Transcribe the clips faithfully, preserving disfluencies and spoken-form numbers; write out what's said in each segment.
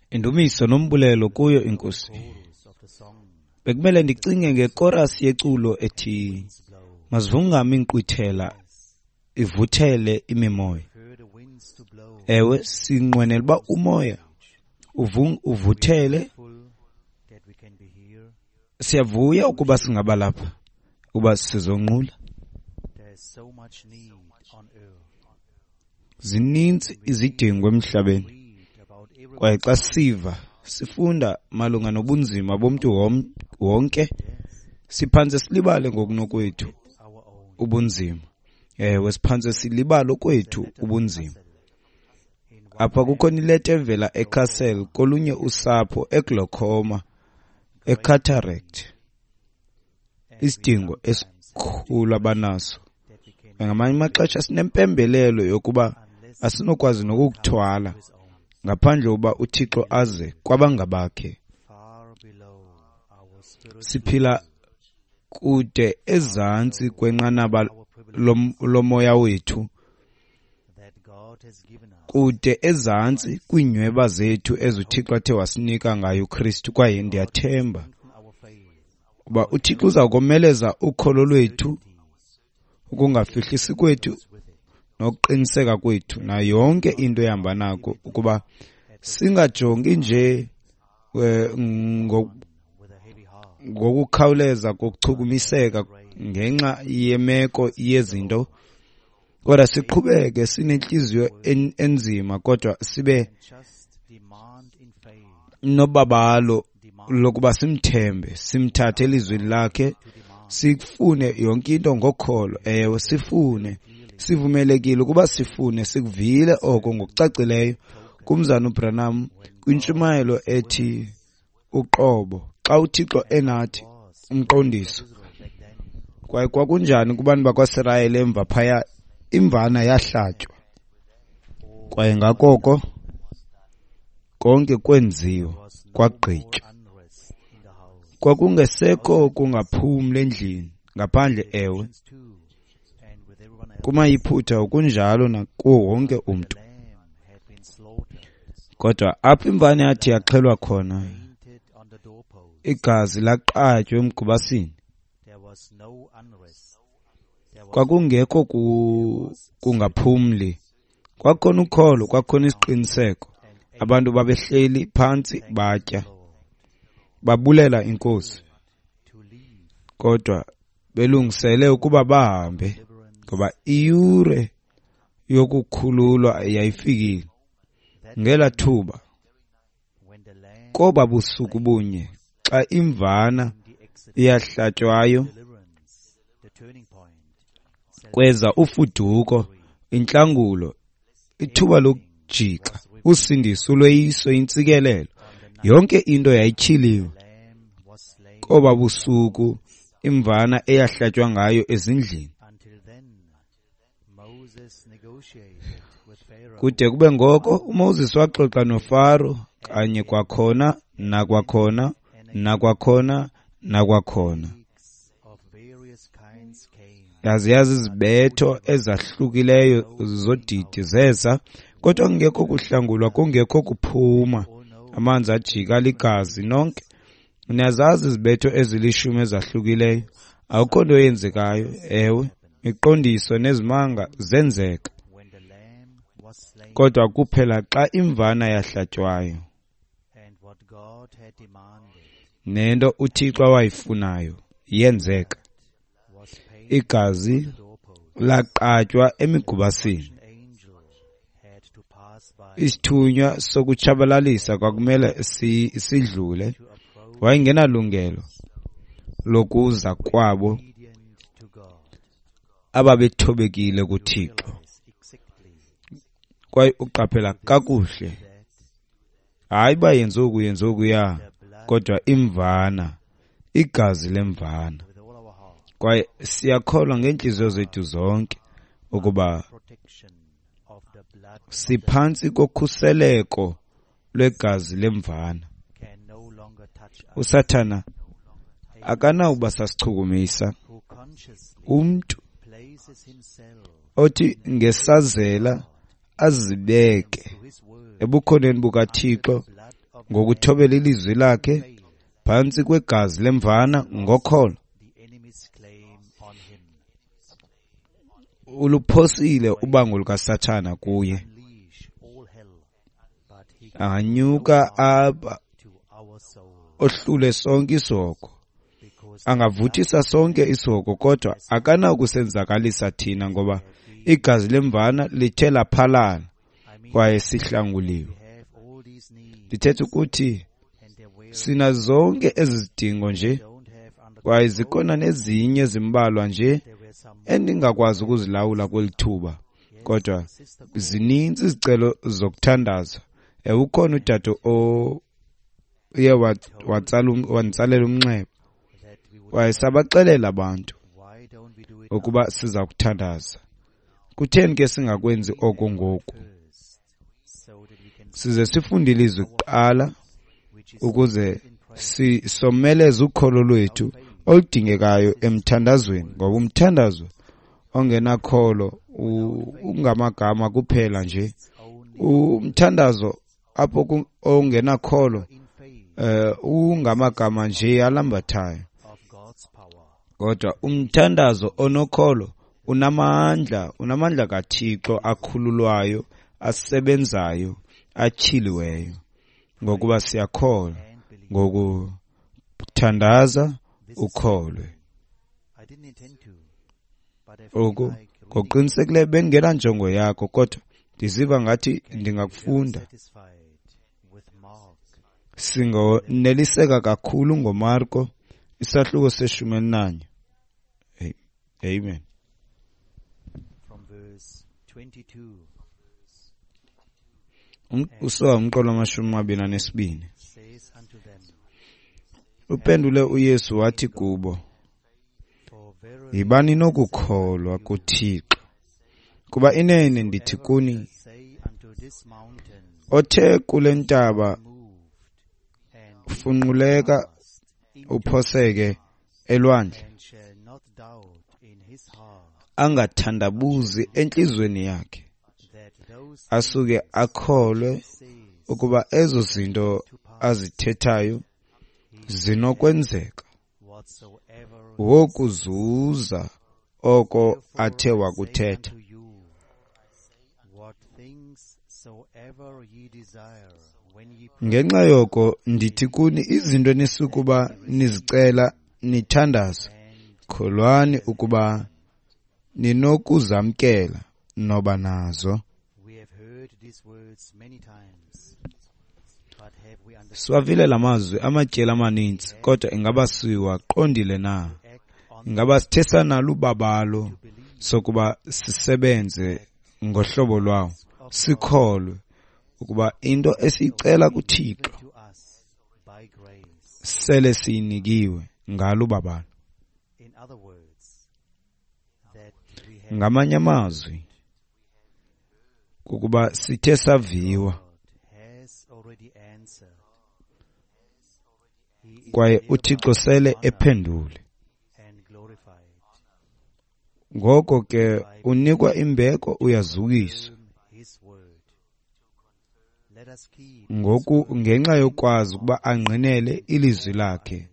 Indumiso nombulelo kuyo iNkosi. Bekumele ndicinge ngekorasi yeculo ethi mazivungame inkqwithela ivuthele imimoya. Ewe, sinqwenela uba umoya uvuthele. Siyavuya ukuba singaba lapha, ukuba sizonqula. Zininzi izidingo emhlabeni, kwaye xa siva sifunda malunga nobunzima bomntu wonke, siphantse silibale ngokunokwethu ubunzima. Ewe, siphantse silibale okwethu ubunzima. Apha kukho ileta evela eCastle kolunye usapho eGlaucoma, eCataract. Isidingo esikhulu abanaso. Ngamanye amaxesha sinempembelelo yokuba asinokwazi nokukuthwala ngaphandle uba uThixo aze kwabangabakhe. Siphila kude ezantsi kwenqanaba lomoya wethu, kude ezantsi kwiinyweba zethu ezuThixo athe wasinika ngayo uKristu. Kwaye ndiyathemba uba uThixo uza komeleza ukholo lwethu, ukungafihlisi kwethu nokuqiniseka kwethu nayo yonke into ehamba nako, ukuba singajongi nje ngokukhawuleza kokuchukumiseka ngenxa yemeko yezinto, kodwa siqhubeke sinentliziyo enzima, kodwa sibe nobabalo lokuba simthembe, simthathe elizwini lakhe, sifune yonke into ngokholo. Ewe, sifune, sivumelekile ukuba sifune. Sikuvile oko ngokucacileyo kumzana uBranham kwintshumayelo ethi uqobo, xa uThixo enathi, umqondiso. Kwaye kwakunjani kubantu bakwaSirayeli emva phaya, imvana yahlatywa, kwaye ngakoko konke kwenziwa kwagqitywa. Kwakungesekho kungaphumli endlini ngaphandle, ewe, kumayiphutha okunjalo nakuwo wonke umntu. Kodwa apho imvana yathi yaxhelwa khona, igazi laqatywa emgubasini, kwakungekho kungaphumli. Kwakhona ukholo, kwakhona isiqiniseko. Abantu babehleli phantsi batya, babulela iNkosi, kodwa belungisele ukuba bahambe, ngoba iyure yokukhululwa yayifikile. Ngela thuba, koba busuku bunye, xa imvana iyahlatywayo, kweza ufuduko, intlangulo, ithuba lokujika, usindiso, ulweyiso, intsikelelo. Yonke into yayityhiliwe. Koba busuku imvana eyahlatywa ngayo ezindlini. Kude kube ngoko uMoses waxoxa noFaro kanye kwakhona nakwakhona nakwakhona nakwakhona. Yazi yazi izibetho ezahlukileyo zodidi zeza, kodwa kungekho kuhlangulwa, kungekho kuphuma. Amanzi ajika ligazi nonke. Niyazazi izibetho ezilishumi ezahlukileyo. Akukho nto yenzekayo. Ewe, imiqondiso nezimanga zenzeka, kodwa kuphela xa imvana yahlatywayo nento uThixo awayifunayo yenzeka. Igazi laqatywa emigubasini. Isithunywa sokutshabalalisa kwakumele sidlule. Wayengenalungelo lokuza kwabo ababethobekile kuThixo. Kwaye uqaphela kakuhle, hayi uba yenze oku yenze okuya, kodwa imvana, igazi lemvana. Kwaye siyakholwa ngeentliziyo zethu zonke ukuba siphantsi kokhuseleko lwegazi lemvana. USathana akanawuba sasichukumisa. Umntu othi ngesazela azibeke ebukhoneni bukaThixo ngokuthobela ilizwi lakhe phantsi kwegazi lemvana ngokholo, uluphosile ubango lukaSathana kuye. Anganyuka apha ohlule sonke isihogo, angavuthisa sonke isihogo, kodwa akanakusenzakalisa thina ngoba igazi lemvana lithe laphalala kwaye sihlanguliwe. Ndithetha ukuthi sina zonke ezi zidingo nje, kwaye zikhona nezinye ezimbalwa nje endingakwazi ukuzilawula kweli thuba, kodwa zininzi izicelo zokuthandaza. Ewe, ukhona udade oye wantsalela umnxeba kwaye sabaxelela abantu ukuba siza kuthandaza. Kutheni ke singakwenzi oko ngoku? Size sifunde ilizwi kuqala ukuze sisomeleze ukholo lwethu oludingekayo emthandazweni, ngoba umthandazo ongenakholo ungamagama kuphela nje. Umthandazo apho ongenakholo eh ungamagama nje alambathayo, kodwa umthandazo onokholo unamandla, unamandla kaThixo akhululwayo, asebenzayo, atyhiliweyo. Ngokuba siyakholwa, ngokuthandaza ukholwe. Oku ngokuqinisekileyo bengenanjongo yakho, kodwa ndiziva ngathi ndingakufunda. Singoneliseka kakhulu ngoMarko isahluko seshumi elinanye. Amen. Usuka umqolo wamashumi amabini anesibini. Uphendule uYesu wathi kubo, yibani nokukholwa kuThixo, kuba inene ndithi kuni, othe kule ntaba funquleka uphoseke elwandle, angathandabuzi entliziyweni yakhe, asuke akholwe ukuba ezo zinto azithethayo zinokwenzeka, wokuzuza oko athe wakuthetha. Ngenxa yoko ndithi kuni, izinto enisukuba nizicela nithandaza, kholwani ukuba ninokuzamkela, noba nazo. Siwavile la mazwi amatyeli amaninzi, kodwa ingaba siwaqondile na? Ingaba sithe sanalo ubabalo sokuba sisebenze ngohlobo lwawo, sikholwe ukuba into esiyicela kuThixo sele siyinikiwe ngalo ubabalo? Ngamanye amazwi, kukuba sithe saviwa kwaye uThixo sele ephendule. Ngoko ke unikwa imbeko, uyazukiswa ngoku ngenxa yokwazi ukuba angqinele ilizwi lakhe.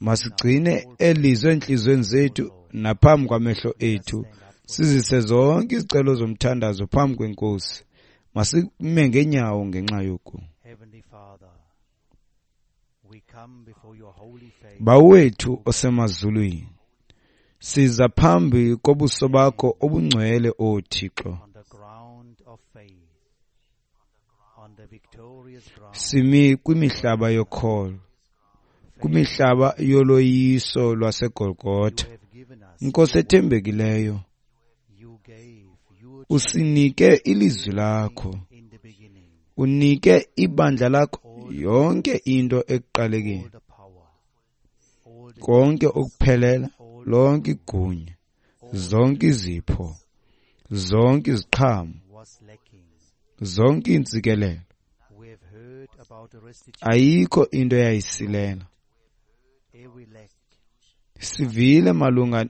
Masigcine elizwi entliziyweni zethu naphambi kwamehlo ethu, sizise zonke izicelo zomthandazo phambi kweNkosi. Masime ngeenyawo ngenxa yoku. Bawo wethu osemazulwini, siza phambi kobuso bakho obungcwele, O Thixo. Simi kwimihlaba yokholo, kwimihlaba yoloyiso lwaseGolgotha. Nkosi ethembekileyo, usinike ilizwi lakho, unike ibandla lakho yonke into ekuqalekeni, konke ukuphelela, lonke igunya, zonke izipho, zonke iziqhamo, zonke iintsikelelo. Ayikho into eyayisilela. Sivile malunga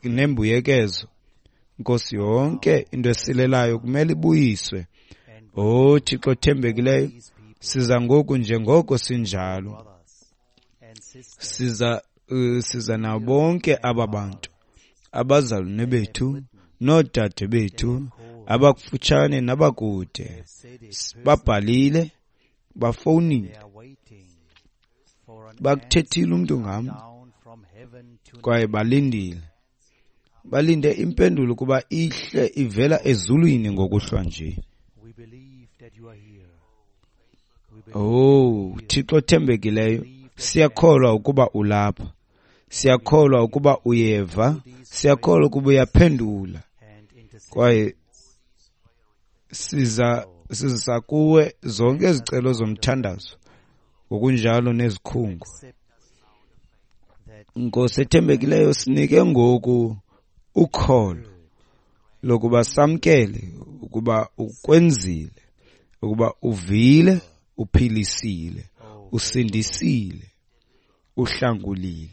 nembuyekezo Nkosi, yonke into esilelayo kumele ibuyiswe. Oh Thixo othembekileyo, siza ngoku njengoko sinjalo. Siza uh, siza nabo bonke aba bantu, abazalwane bethu noodade bethu, abakufutshane nabakude. Babhalile, bafowunile, bakuthethile umntu ngam, kwaye balindile. Balinde impendulo kuba ihle ivela ezulwini ngokuhlwa nje. Oh, Thixo othembekileyo, siyakholwa ukuba ulapha. Siyakholwa ukuba uyeva, siyakholwa ukuba uyaphendula. Kwaye siza siza kuwe zonke izicelo zomthandazo, ngokunjalo nezikhungo. Nkosi ethembekileyo, sinike ngoku ukholo lokuba samkele ukuba ukwenzile, ukuba uvile, uphilisile, usindisile, uhlangulile.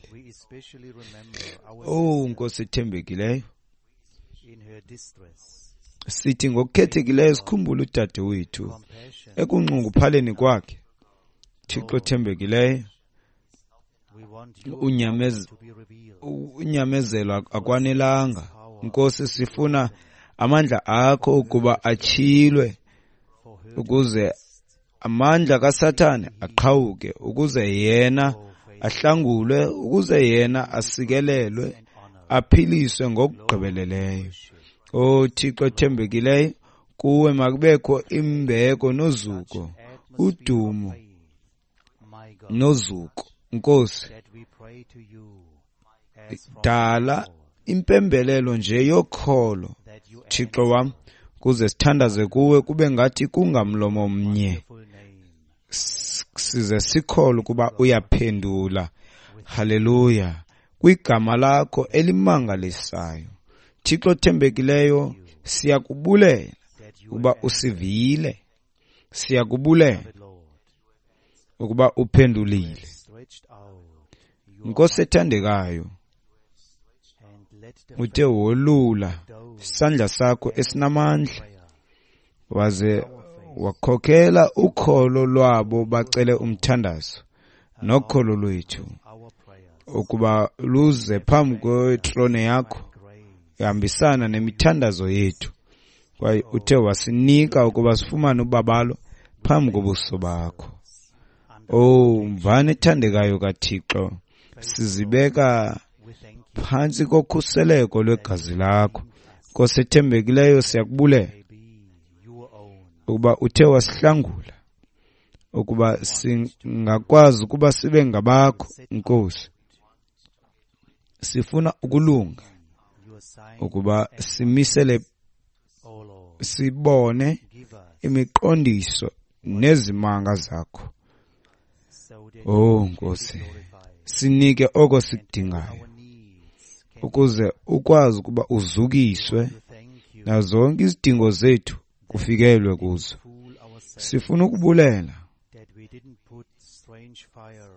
Oh Nkosi ethembekileyo, sithi ngokukhethekileyo sikhumbule udade wethu ekunxunguphaleni kwakhe. Thixo othembekileyo, unyamezelo akwanelanga. Nkosi, sifuna amandla akho ukuba atyhilwe, ukuze amandla kaSathane aqhawuke, ukuze yena ahlangulwe, ukuze yena asikelelwe, aphiliswe ngokugqibeleleyo. Oh Thixo othembekileyo, kuwe makubekho imbeko nozuko, udumo nozuko. Nkosi, dala impembelelo nje yokholo, Thixo wam, kuze sithandaze kuwe kube ngathi kungamlomo mnye, size sikholwe ukuba uyaphendula. Haleluya, kwigama lakho elimangalisayo. Thixo othembekileyo, siyakubulela ukuba usivile, siyakubulela ukuba uphendulile. Nkosi ethandekayo, uthe wolula isandla sakho esinamandla, waze wakhokhela ukholo lwabo bacele umthandazo nokholo lwethu ukuba luze phambi kwetrone yakho, ihambisana nemithandazo yethu. Kwaye uthe wasinika ukuba sifumane ubabalo phambi kobuso bakho. Oh mvana ethandekayo kaThixo, sizibeka phantsi kokhuseleko lwegazi lakho. Nkosi ethembekileyo, siyakubulela ukuba uthe wasihlangula, ukuba singakwazi ukuba sibe ngabakho. Nkosi, sifuna ukulunga, ukuba simisele, sibone imiqondiso nezimanga zakho. Oh Nkosi, sinike oko sikudingayo, ukuze ukwazi ukuba uzukiswe nazo zonke izidingo zethu kufikelwe kuzo. Sifuna ukubulela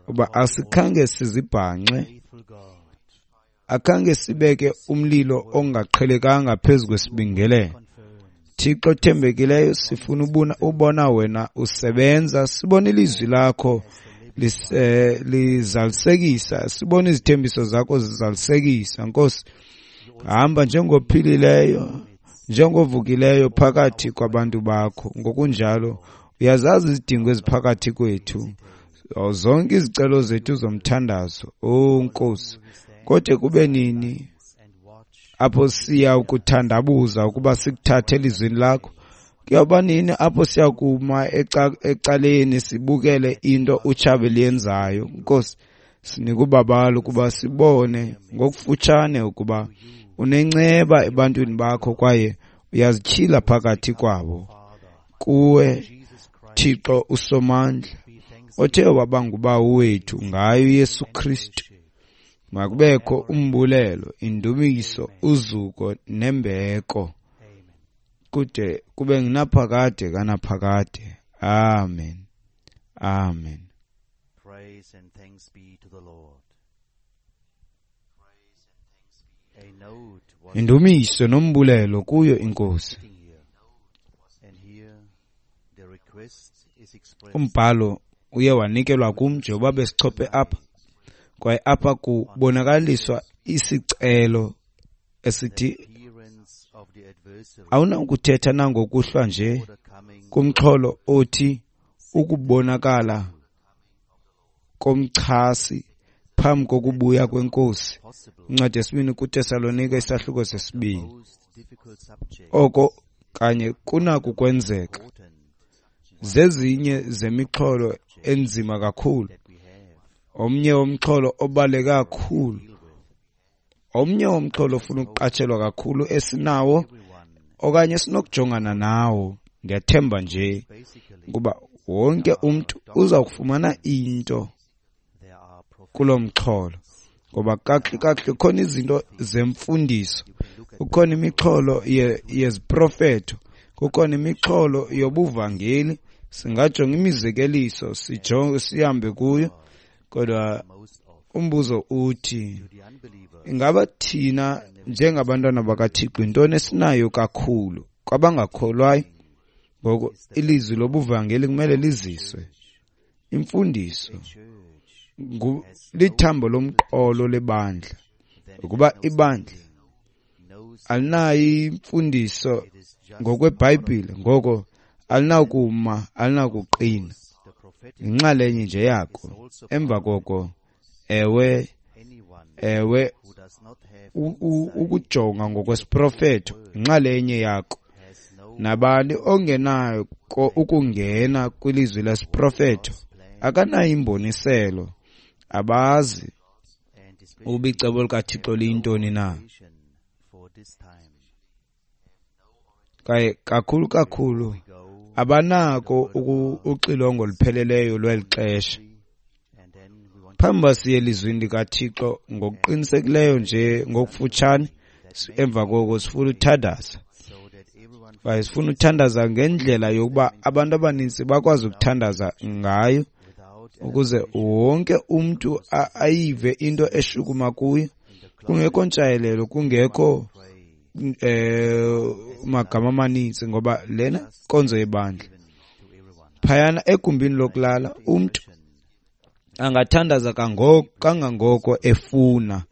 uba asikhange sizibhanxe, akhange sibeke umlilo ongaqhelekanga phezu kwesibingelelo. Thixo othembekileyo, sifuna ubona wena usebenza, sibone ilizwi lakho lizalisekisa, sibone izithembiso zakho zizalisekisa. Nkosi, hamba njengophilileyo, njengovukileyo phakathi kwabantu bakho. Ngokunjalo uyazazi izidingo eziphakathi kwethu, zonke izicelo zethu zomthandazo. Oh Nkosi, kodwa kube nini apho siya ukuthandabuza ukuba sikuthathe elizwini lakho? Kuyoba nini apho siyakuma ecaleni sibukele into utshabe liyenzayo? Nkosi, sinika ubabalo ukuba sibone ngokufutshane ukuba unenceba ebantwini bakho kwaye uyazityhila phakathi kwabo. Kuwe Thixo uSomandla, othe waba ngubawo wethu ngayo uYesu Kristu, makubekho umbulelo, indumiso, uzuko nembeko kude kube ngunaphakade kanaphakade. Amen. Amen. Praise and thanks be to the Lord. Indumiso nombulelo kuyo iNkosi. Umbhalo uye wanikelwa kum njengoba besichophe apha, kwaye apha kubonakaliswa isicelo esithi awunakuthetha nangokuhlwa nje kumxholo othi ukubonakala komchasi phambi kokubuya kweNkosi. Incwadi yesibini kuTesalonika isahluko sesibini. Oko kanye kunako kwenzeka. Zezinye zemixholo enzima kakhulu. Omnye womxholo obaluleke kakhulu, omnye womxholo ofuna ukuqatshelwa kakhulu esinawo okanye esinokujongana nawo. Ndiyathemba nje ukuba wonke umntu uza kufumana into kulo mxholo, ngoba kakuhle kakuhle khona izinto zemfundiso, kukhona imixholo yeziprofeto, kukhona imixholo yobuvangeli. Singajonga imizekeliso sijonge sihambe kuyo, kodwa umbuzo uthi ingaba thina njengabantwana bakaThixo intoni esinayo kakhulu kwabangakholwayo? Ngoko ilizwi lobuvangeli kumele liziswe. Imfundiso lithambo lomqolo lebandla. Ukuba ibandla alinayo imfundiso ngokweBhayibhile, ngoko alinakuma, alinakuqina. Inxalenye nje yako. Emva koko, ewe, ewe, ukujonga ngokwesiprofeto inxalenye yako. Nabani ongenayo ukungena kwilizwi lesiprofeto akanayo imboniselo, abazi ukuba icebo likaThixo liyintoni na. Kwaye kakhulu kakhulu abanako uxilongo olupheleleyo lweli xesha. Phambi uba siye elizwini likaThixo ngokuqinisekileyo nje ngokufutshane, emva koko sifuna uthandaza. Kwaye sifuna uthandaza ngendlela yokuba abantu abaninzi bakwazi ukuthandaza ngayo, ukuze wonke umntu ayive into eshukuma kuyo, kungekho ntshayelelo, kungekho eh magama amaninzi, ngoba lena nkonzo yebandla. Phayana egumbini lokulala umntu angathandaza kangoko kangangoko efuna,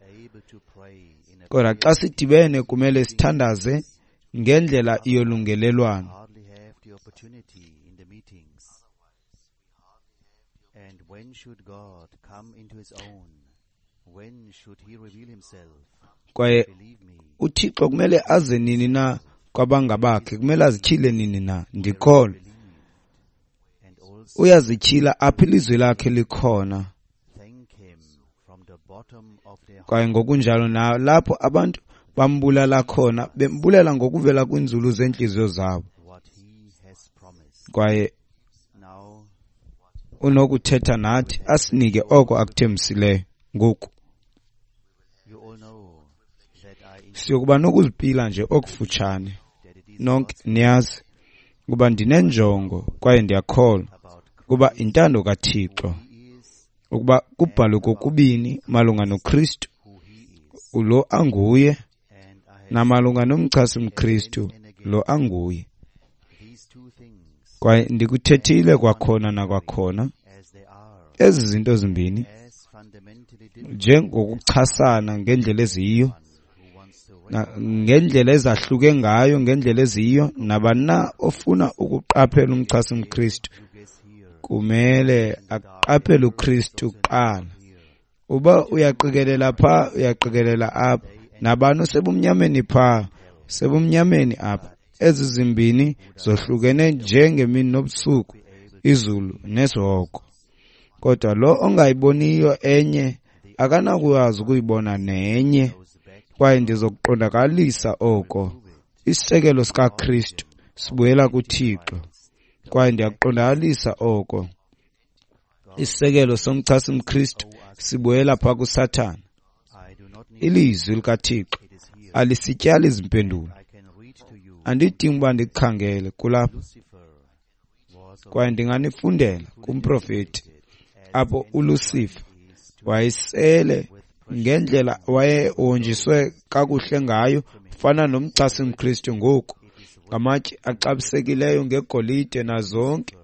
kodwa xa sidibene kumele sithandaze ngendlela yolungelelwano. Kwaye uThixo kumele aze nini na kwabangabakhe, kumele azityhile nini na. Ndikholwa uyazityhila apho ilizwi lakhe likhona. Kwaye ngokunjalo nalapho abantu bambulala khona, bembulela ngokuvela kwinzulu zeentliziyo zabo. Kwaye unokuthetha nathi asinike oko akuthembisileyo. Ngoku siyokuba nokuzipila nje okufutshane. Nonke niyazi ukuba ndinenjongo kwaye ndiyakholwa ukuba intando kaThixo ukuba kubhalwe kokubini malunga noKristu lo anguye namalunga nomchasi mKristu lo anguye. Kwaye ndikuthethile kwakhona nakwakhona ezi zinto zimbini njengokuchasana ngendlela eziyiyo, ngendlela ezahluke ngayo, ngendlela eziyiyo. Nabani na ofuna ukuqaphela umchasi mKristu kumele aqaphele uKristu kuqala. Uba uyaqikelela pha, uyaqikelela apha. Nabani osebumnyameni pha, sebumnyameni apha. Ezi zimbini zohlukene njengemini nobusuku, izulu nesihogo. Kodwa lo ongayiboniyo enye akanakwazi ukuyibona nenye. Kwaye ndizokuqondakalisa oko. Isisekelo sikaKristu sibuyela kuThixo. Kwaye ndiyakuqondakalisa oko. Isisekelo somchasi mKristu sibuyela pha kuSathana. Ilizwi likaThixo alisityali izimpendulo. Andidingi uba ndikukhangele kulapha. Kwaye ndinganifundela kumprofeti apho uLucifer wayesele Ngendlela wayehonjiswe kakuhle ngayo, fana nomchasi mKristu ngoku, ngamatye axabisekileyo, ngegolide nazonke.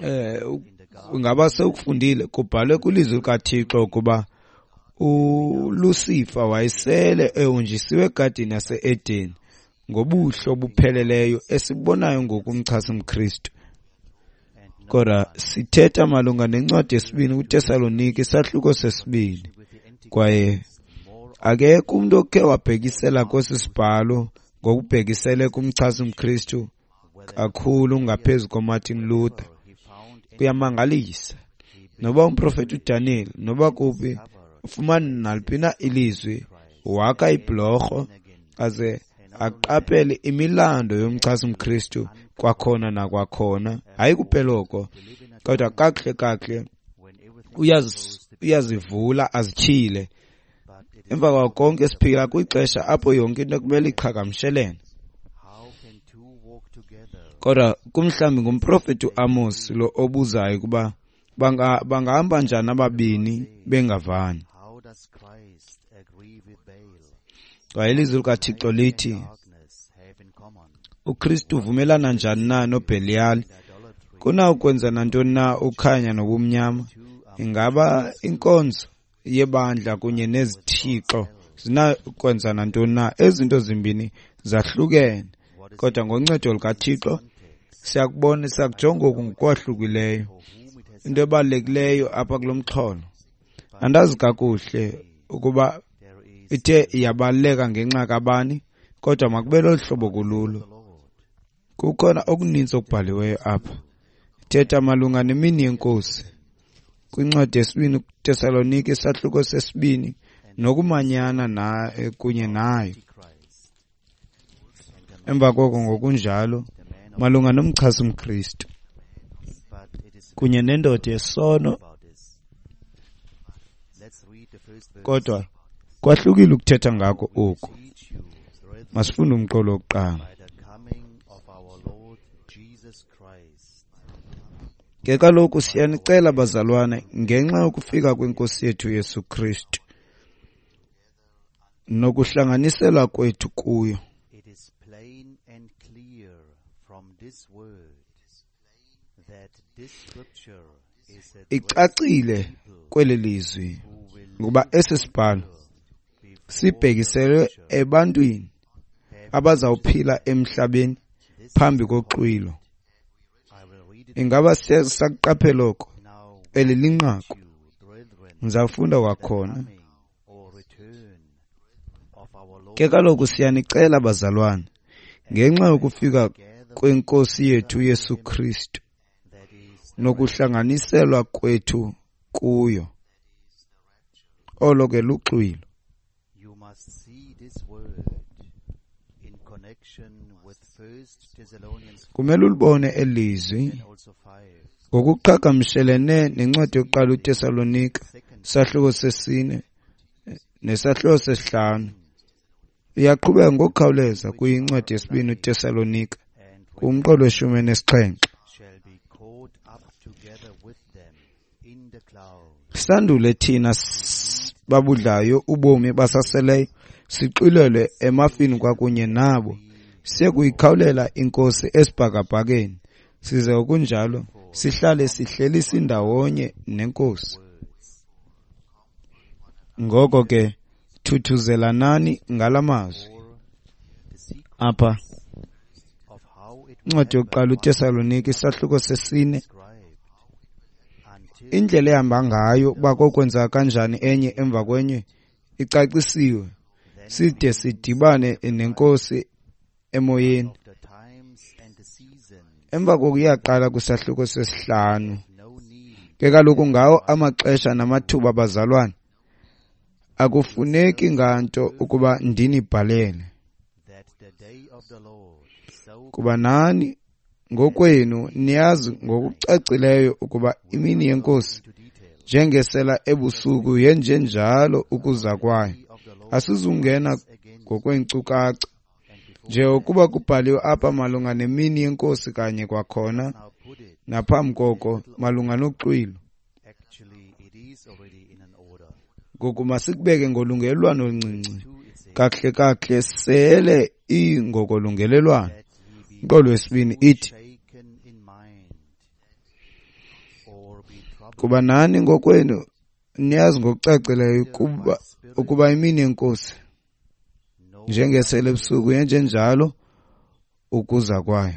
Eh, ngaba sewukufundile, kubhalwe kwilizwi likaThixo ukuba uLucifer wayesele ehonjisiwe egadini yase-Eden ngobuhle obupheleleyo esibonayo ngoku umchasi mKristu. Kodwa sithetha malunga nencwadi yesibini kuTesalonike, isahluko sesibini, kwaye akekho umntu okhe wabhekisela kwesi sibhalo ngokubhekisele kumchasi mKristu kakhulu ngaphezu koMartin Luther. Kuyamangalisa, noba umprofeti uDaniel, noba kuphi, ufumana naliphi na ilizwi, wakha ibhlorho aze aqaphele imilando yomchasi mKristu kwakhona nakwakhona. Hayi kuphela oko, kodwa kakuhle kakuhle uyazivula azityhile. Emva kwako konke siphila kwixesha apho yonke into kumele iqhagamshelene. Kodwa kumhlawumbi ngumprofeti uAmos lo obuzayo ukuba bangahamba njani ababini bengavani. Kwaye ilizwi likaThixo lithi uKristu uvumelana njani na noBheliyali? Kunawukwenza nantoni na ukhanya nobumnyama? Ingaba inkonzo yebandla kunye nezithixo zinakwenza nantoni na? Ezi zinto zimbini zahlukene, kodwa ngoncedo lukaThixo siyakubona, siyakujonga oku ngokwahlukileyo. Into ebalulekileyo apha kulo mxholo, andazi kakuhle ukuba ithe iyabaluleka ngenxa kabani, kodwa makube lolu hlobo kululo. Kukhona okuninzi okubhaliweyo apha. Ithetha malunga nemini yeNkosi kwincwadi yesibini kuTesalonike, isahluko sesibini, nokumanyana na kunye nayo. Emva koko ngokunjalo malunga nomchasi mKristu kunye nendoda yesono. Kodwa kwahlukile ukuthetha ngako oku. Masifunde umqolo wokuqala. Ke kaloku siyanicela bazalwane, ngenxa yokufika kweNkosi yethu Yesu Kristu nokuhlanganiselwa kwethu kuyo, icacile kweli lizwi ngoba esi sibhalo sibhekiselwe ebantwini abazawuphila emhlabeni phambi koxwilo. Ingaba siyakuqaphela oko? Eli linqaku. Ndizawufunda kwakhona. Ke kaloku siyanicela bazalwane, ngenxa yokufika kweNkosi yethu Yesu Kristu nokuhlanganiselwa kwethu kuyo. Olo ke luxwilo. Kumele ulibone elizwi ngokuqhagamshelene nencwadi yokuqala uTesalonika, isahluko sesine nesahluko sesihlanu. Iyaqhubeka ngokukhawuleza kwincwadi yesibini uTesalonika kumqolo weshumi nesixhenxe. Sandule thina babudlayo ubomi basaseleyo sixwilelwe emafini kwakunye nabo, siye kuyikhawulela iNkosi esibhakabhakeni, size okunjalo sihlale sihleli sindawonye neNkosi. Ngoko ke thuthuzelanani ngala mazwi. Apha incwadi yokuqala uTesalonike, isahluko sesine, indlela ehamba ngayo uba kokwenzeka kanjani enye emva kwenye icacisiwe, side sidibane neNkosi emoyeni. Emva koko iyaqala kwisahluko sesihlanu. Ke kaloku ngawo amaxesha namathuba bazalwane, akufuneki nganto ukuba ndinibhalele, kuba nani ngokwenu niyazi ngokucacileyo ukuba imini yeNkosi njengesela ebusuku yenjenjalo ukuza kwayo. Asizungena ngokweenkcukacha njengokuba kubhaliwe apha malunga nemini yeNkosi kanye kwakhona naphambi koko malunga noxwilo. Ngoku masikubeke ngolungelelwano oluncinci. Kakuhle kakuhle sele ingokolungelelwano. Umqolo wesibini ithi, kuba nani ngokwenu niyazi ngokucacileyo ukuba ukuba imini yeNkosi njengesele ebusuku yenjenjalo ukuza kwayo.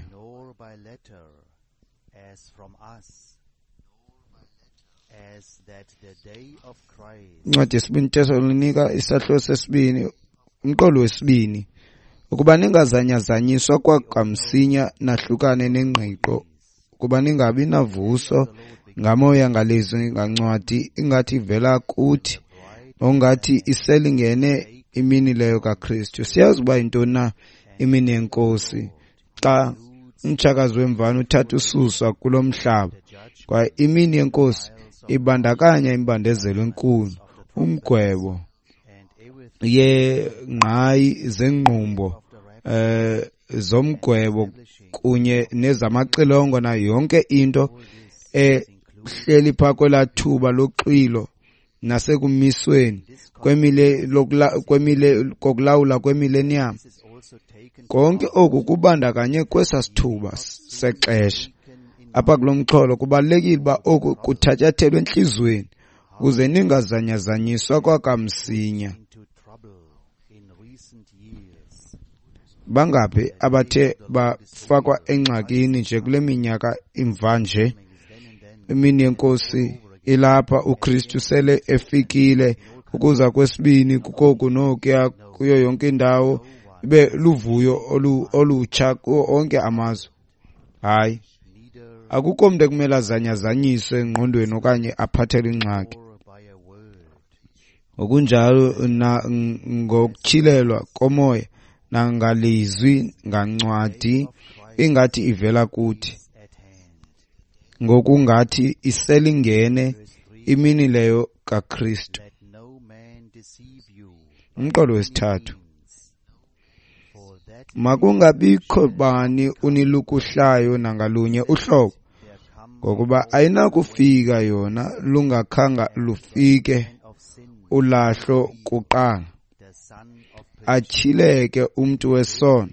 Incwadi yesibini Tesalonika isahluko sesibini umqolo wesibini, ukuba ningazanyazanyiswa kwakamsinya nahlukane nengqiqo, ukuba ningabi navuso ngamoya ngalizwi ngancwadi ingathi ivela kuthi, ongathi iselingene imini leyo kaKristu. Siyazi uba yintoni na imini yeNkosi xa umtshakazi wemvana uthatha ususwa kulo mhlaba, kwaye imini yeNkosi ibandakanya imbandezelo enkulu, umgwebo yeengqayi zengqumbo eh zomgwebo kunye nezamaxilongo nayo yonke into ehleli phaa kwelaa thuba loxwilo nasekumisweni kwemile kwemile kokulawula kwemillennium. Konke oku kubandakanye kwesa sithuba sexesha. Apha kulo mxholo kubalulekile uba oku kuthatyathelwe entliziyweni ukuze ningazanyazanyiswa kwakamsinya. Bangaphi abathe bafakwa engxakini nje kule minyaka imva nje? Imini yeNkosi ilapha, uKristu sele efikile, ukuza kwesibini kukoku nokuya kuyo yonke indawo, ibe luvuyo olutsha kuwo onke amazwe. Hayi, akukho mntu ekumele azanyazanyiswe engqondweni okanye aphathelwe ingxaki. Ngokunjalo na ngokutyhilelwa komoya nangalizwi ngancwadi ingathi ivela kuthi, ngokungathi iselingene imini leyo kaKristu. Umqolo wesithathu, makungabikho bani unilukuhlayo nangalunye uhlobo, ngokuba ayinakufika yona lungakhanga lufike ulahlo kuqala, atyhileke umntu wesono,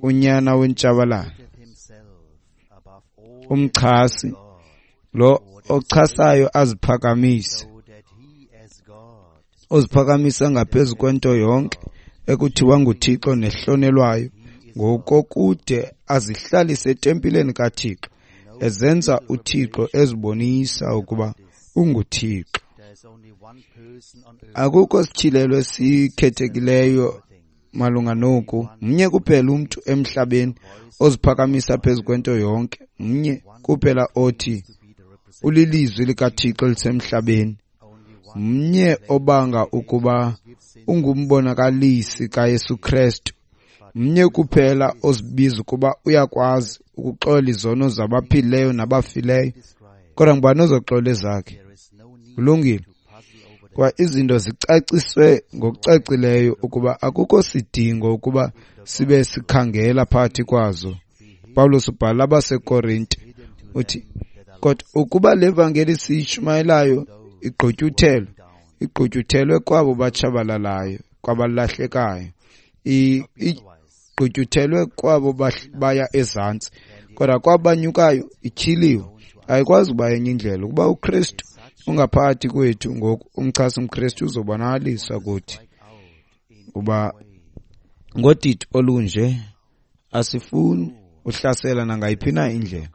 unyana wentshabalalo, umchasi lo ochasayo aziphakamise, oziphakamisa ngaphezu kwento yonke ekuthiwa nguThixo nehlonelwayo, ngokokude azihlalise etempileni kaThixo, ezenza uThixo ezibonisa ukuba unguThixo. Akukho sityhilelo esikhethekileyo malunga noku. Mnye kuphela umntu emhlabeni oziphakamisa phezu kwento yonke, mnye kuphela othi ulilizwi likaThixo elisemhlabeni, mnye obanga ukuba ungumbonakalisi kaYesu Kristu, mnye kuphela ozibiza ukuba uyakwazi ukuxola izono zabaphilileyo nabafileyo. Kodwa ngubani ozoxola ezakhe? Kulungile. Kwa izinto zicaciswe ngokucacileyo ukuba akukho sidingo ukuba sibe sikhangela phakathi kwazo. Pawulos ubhala abaseKorinte uthi, kodwa ukuba le vangeli siyishumayelayo igqutyuthelwe, igqutyuthelwe kwabo batshabalalayo, kwabalahlekayo, igqutyuthelwe kwabo baya ezantsi, kodwa kwabanyukayo ityhiliwe. Ayikwazi uba enye indlela, ukuba uKristu ungaphakathi kwethu ngoku, umchasi umKristu uzobonakaliswa kuthi. Kuba ngodidi olunje asifuni uhlasela nangayiphi na indlela,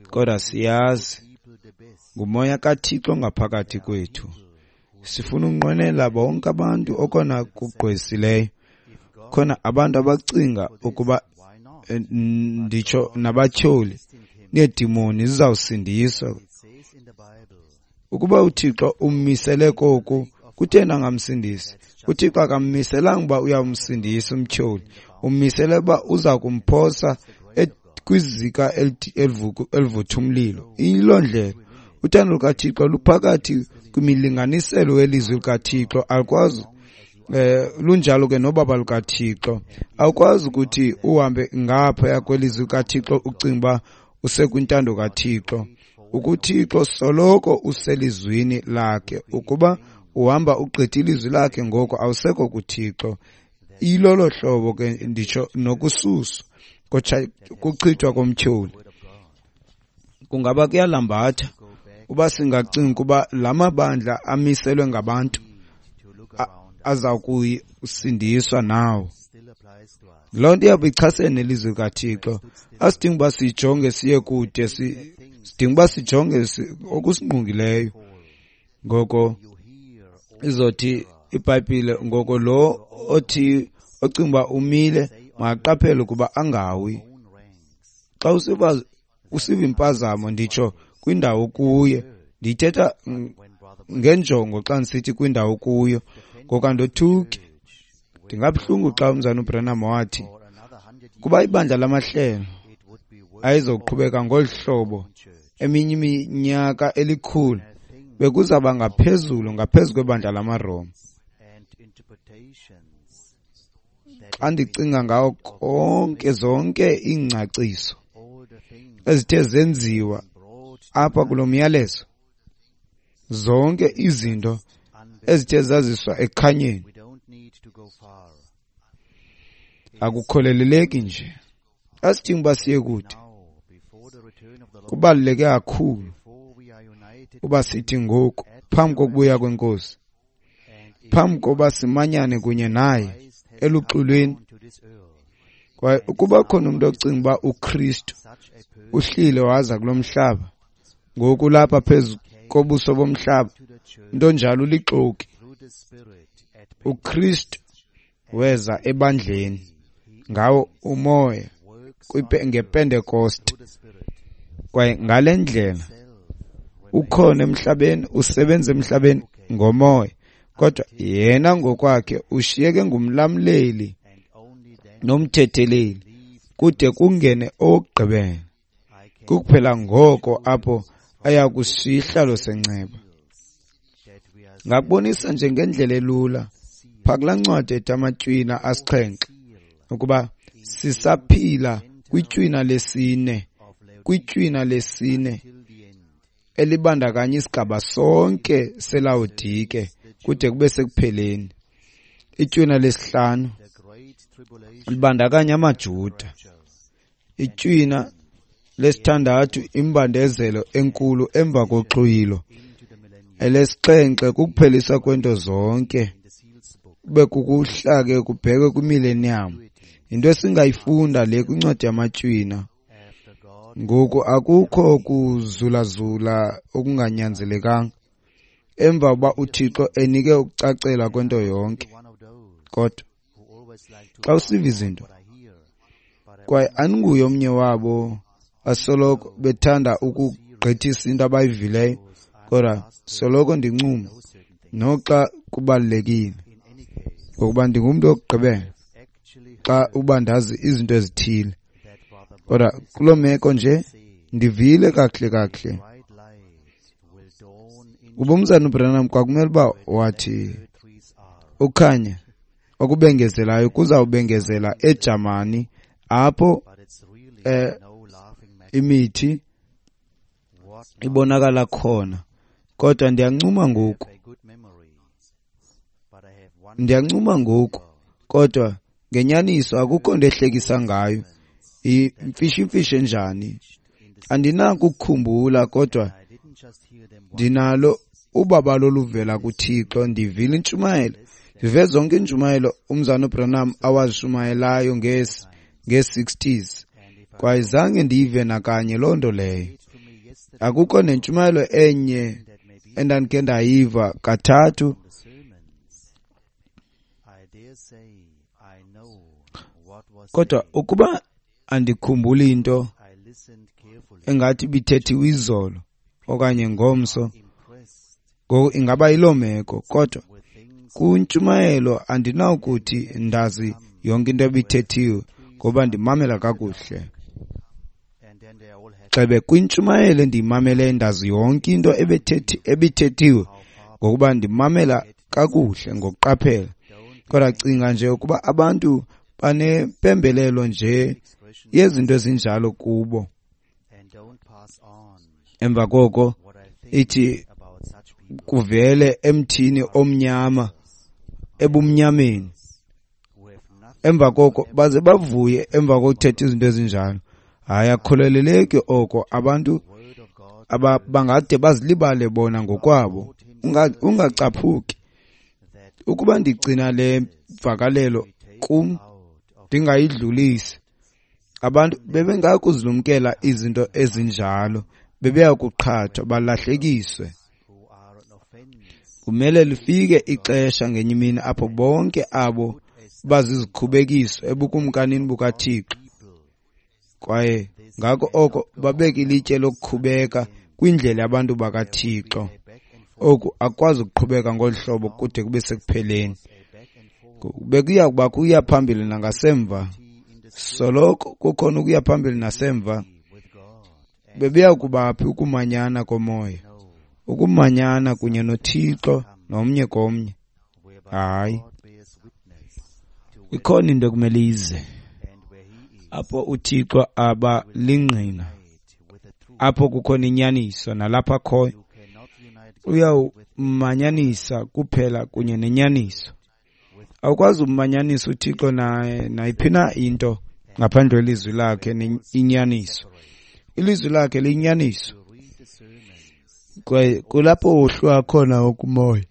kodwa siyazi ngumoya kaThixo ngaphakathi kwethu. Sifuna unqwenela bonke abantu okona kugqwesileyo. Khona abantu abacinga ukuba nditsho nabatyholi needimoni zizawusindiswa. Ukuba uThixo ummisele koku, kutheni angamsindisi? uThixo akammiselanga uba uyamsindisa umtyholi, ummisele uba uza kumphosa kwizika elivutha umlilo. Yiloo ndlela uthando lukaThixo luphakathi kwimilinganiselo welizwi likaThixo. Alukwazi eh lunjalo ke nobaba lukaThixo. Awukwazi ukuthi uhambe ngaphaya kwelizwi likaThixo ucinga uba usekwintando kaThixo. Ukuthixo soloko uselizwini lakhe. Ukuba uhamba ugqitha ilizwi lakhe, ngoko awusekho kuThixo. Ilolo hlobo ke nditsho nokususwa kuchithwa komtyholi. Kungaba kuyalambatha uba singacinga ukuba la mabandla amiselwe ngabantu aza kusindiswa nawo. Loo nto iyawube ichasene nelizwi likaThixo. Asidingi uba sijonge siye kude, sidinga uba sijonge okusingqongileyo. Ngoko izothi iBhayibhile, ngoko lo othi ocinga uba umile makaqaphele ukuba angawi. Xa usiva usiva impazamo, nditsho kwindawo kuye, ndiyithetha ngenjongo xa ndisithi kwindawo kuyo, ngoku andothuki. Ndingabuhlungu xa umzana uBranham wathi kuba ibandla lamahlelo ayizoqhubeka ngolu hlobo eminye iminyaka elikhulu, bekuzaba ngaphezulu ngaphezu kwebandla lamaRoma. Xa ndicinga ngawo konke zonke iingcaciso ezithe zenziwa apha kulo myalezo, zonke izinto ezithe zaziswa ekukhanyeni, akukholeleki nje. Asidingi uba siye kude. Kubaluleke kakhulu uba sithi ngoku phambi kokubuya kweNkosi, phambi koba simanyane kunye naye eluxolweni. Kwaye ukuba khona umuntu ocinga uba uKristu uhlile waza kulo mhlaba, ngoku lapha phezu kobuso bomhlaba, umntu onjalo ulixoki. uKristu weza ebandleni ngawo umoya ngePentekoste, kwaye ngale ndlela ukhona emhlabeni, usebenza emhlabeni ngomoya, kodwa yena ngokwakhe ushiyeke ngumlamleli nomthetheleli kude kungene owokugqibela. Kukuphela ngoko apho aya kusihlalo senceba. Ngakubonisa nje ngendlela elula phaa kulaa ncwadi ethi Amatywina Asixhenxe ukuba sisaphila kwitywina lesine, kwitywina lesine elibandakanya isigaba sonke seLawodike kude kube sekupheleni. Itywina lesihlanu libandakanya amaJuda. Itywina lesithandathu imbandezelo enkulu emva koxhwilo. Elesixhenxe kukuphelisa kwento zonke, kube kukuhla ke kubhekwe kwimillennium. Yinto esingayifunda le kwincwadi yamatywina. Ngoku akukho kuzulazula okunganyanzelekanga emva uba uThixo enike ukucacela kwento yonke. Kodwa xa usiva izinto, kwaye andinguye omnye wabo asoloko bethanda ukugqithisa into abayivileyo, kodwa soloko ndincuma noxa kubalulekile, ngokuba ndingumntu wokugqibela xa uba ndazi izinto ezithile. Kodwa kuloo meko nje ndivile kakuhle kakuhle kuba umzana uBranham kwakumele uba wathi ukhanya okubengezelayo kuzawubengezela eJamani apho eh, imithi ibonakala khona. Kodwa ndiyancuma ngoku, ndiyancuma ngoku, kodwa ngenyaniso akukho nto ehlekisa ngayo. Imfishimfishi enjani andinako ukukhumbula, kodwa ndinalo ubabalo oluvela kuThixo. Ndivile intshumayelo, ndive zonke iintshumayelo umzana uBranham awazishumayelayo ngee-sixties, kwaye zange ndiyive nakanye loo nto leyo. Akukho nentshumayelo enye endandikhe ndayiva kathathu. Kodwa ukuba andikhumbuli into engathi ibithethiwe izolo okanye ngomso, ngoku ingaba yiloo meko. Kodwa kwintshumayelo andinawukuthi ndazi yonke into ebithethiwe ngoba ndimamela kakuhle. Xebe kwintshumayelo endiyimameleyo ndazi yonke into ebithethiwe ngokuba ndimamela kakuhle ngokuqaphela. Kodwa cinga nje ukuba abantu banempembelelo nje yezinto ezinjalo kubo. Emva koko ithi kuvele emthini omnyama ebumnyameni. Emva koko baze bavuye emva kokuthetha izinto ezinjalo. Hayi, akukholeleki oko. Abantu aba bangade bazilibale bona ngokwabo. Ungacaphuki. Ukuba ndigcina le mvakalelo kum ndingayidlulisi, abantu bebengakuzilumkela izinto ezinjalo, bebeya kuqhathwa balahlekiswe. Kumele lifike ixesha ngenye imini apho bonke abo bazizikhubekiso ebukumkanini bukaThixo, kwaye ngako oko babeke ilitye lokukhubeka kwindlela yabantu bakaThixo. Oku akukwazi ukuqhubeka ngolu hlobo kude kube sekupheleni. Bekuya kuba kuya phambili nangasemva, soloko kukhona ukuya phambili nasemva. Bebeya kuba phi ukumanyana komoya, ukumanyana kunye noThixo nomnye komnye? Hayi, ikhona into ekumele ize apho uThixo aba lingqina, apho kukhona inyaniso, nalapha akhoyo uyawumanyanisa kuphela kunye nenyaniso. Awukwazi ukumanyanisa uThixo nayiphi na into ngaphandle kwelizwi lakhe inyaniso. Ilizwi lakhe liyinyaniso, kwaye kulapho wohluka khona ukumoya.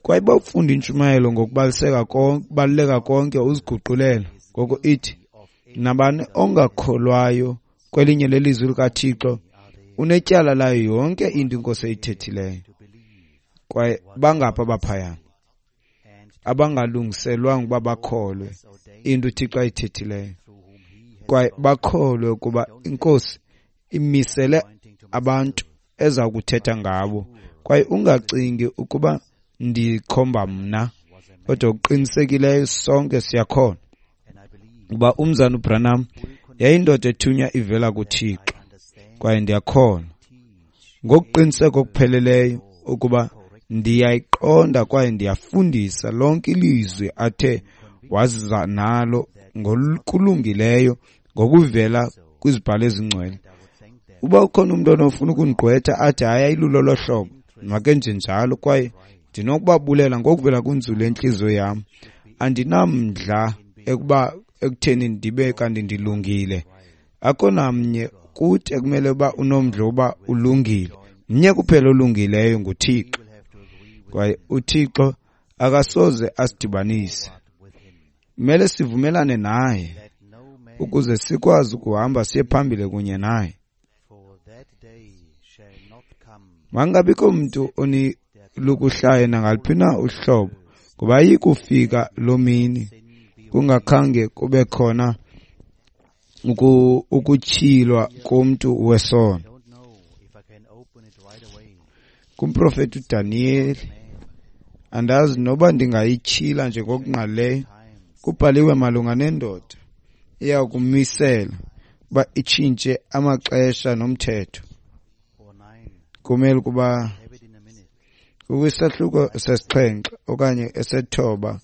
Kwaye bawufunda intshumayelo ngokubaliseka konke, kubaluleka konke uziguqulela. Ngoko ithi nabani ongakholwayo kwelinye lelizwi likaThixo unetyala layo yonke into iNkosi eyithethileyo. Kwaye bangapha abaphayana abangalungiselwanga ukuba bakholwe into uThixo ayithethileyo, kwaye bakholwe ukuba iNkosi imisele abantu eza kuthetha ngabo. Kwaye ungacingi ukuba ndikhomba mna, kodwa okuqinisekileyo sonke siyakholwa ukuba umzana uBranham yayindoda ethunywa ivela kuThixo. Kwaye ndiyakholwa ngokuqiniseka okupheleleyo ukuba ndiyayiqonda kwaye ndiyafundisa lonke ilizwi athe waza nalo ngokulungileyo ngokuvela kwizibhalo ezingcwele. Uba ukhona umntu onofuna ukundigqwetha athi hayi ayilulo lo hlobo, makenje njalo, kwaye ndinokubabulela ngokuvela kwinzulu yentliziyo yam. Andinamdla ekuba ekutheni ndibe kanti ndilungile. Akho namnye kuthi ekumele uba unomdla uba ulungile. Mnye kuphela olungileyo, nguThixo. Kwaye uThixo akasoze asidibanise. Kumele sivumelane naye ukuze sikwazi ukuhamba siye phambili kunye naye. Mangabikho mntu onilukuhlayo nangaluphi na uhlobo, ngoba ayikufika loo mini kungakhange kube khona ukutyhilwa komntu wesono. Kumprofeti uDaniyeli, andazi noba ndingayityhila nje ngokungqalileyo, kubhaliwe malunga nendoda iya kumisela uba itshintshe amaxesha nomthetho. Kumele ukuba kwisahluko sesixhenxe okanye esethoba,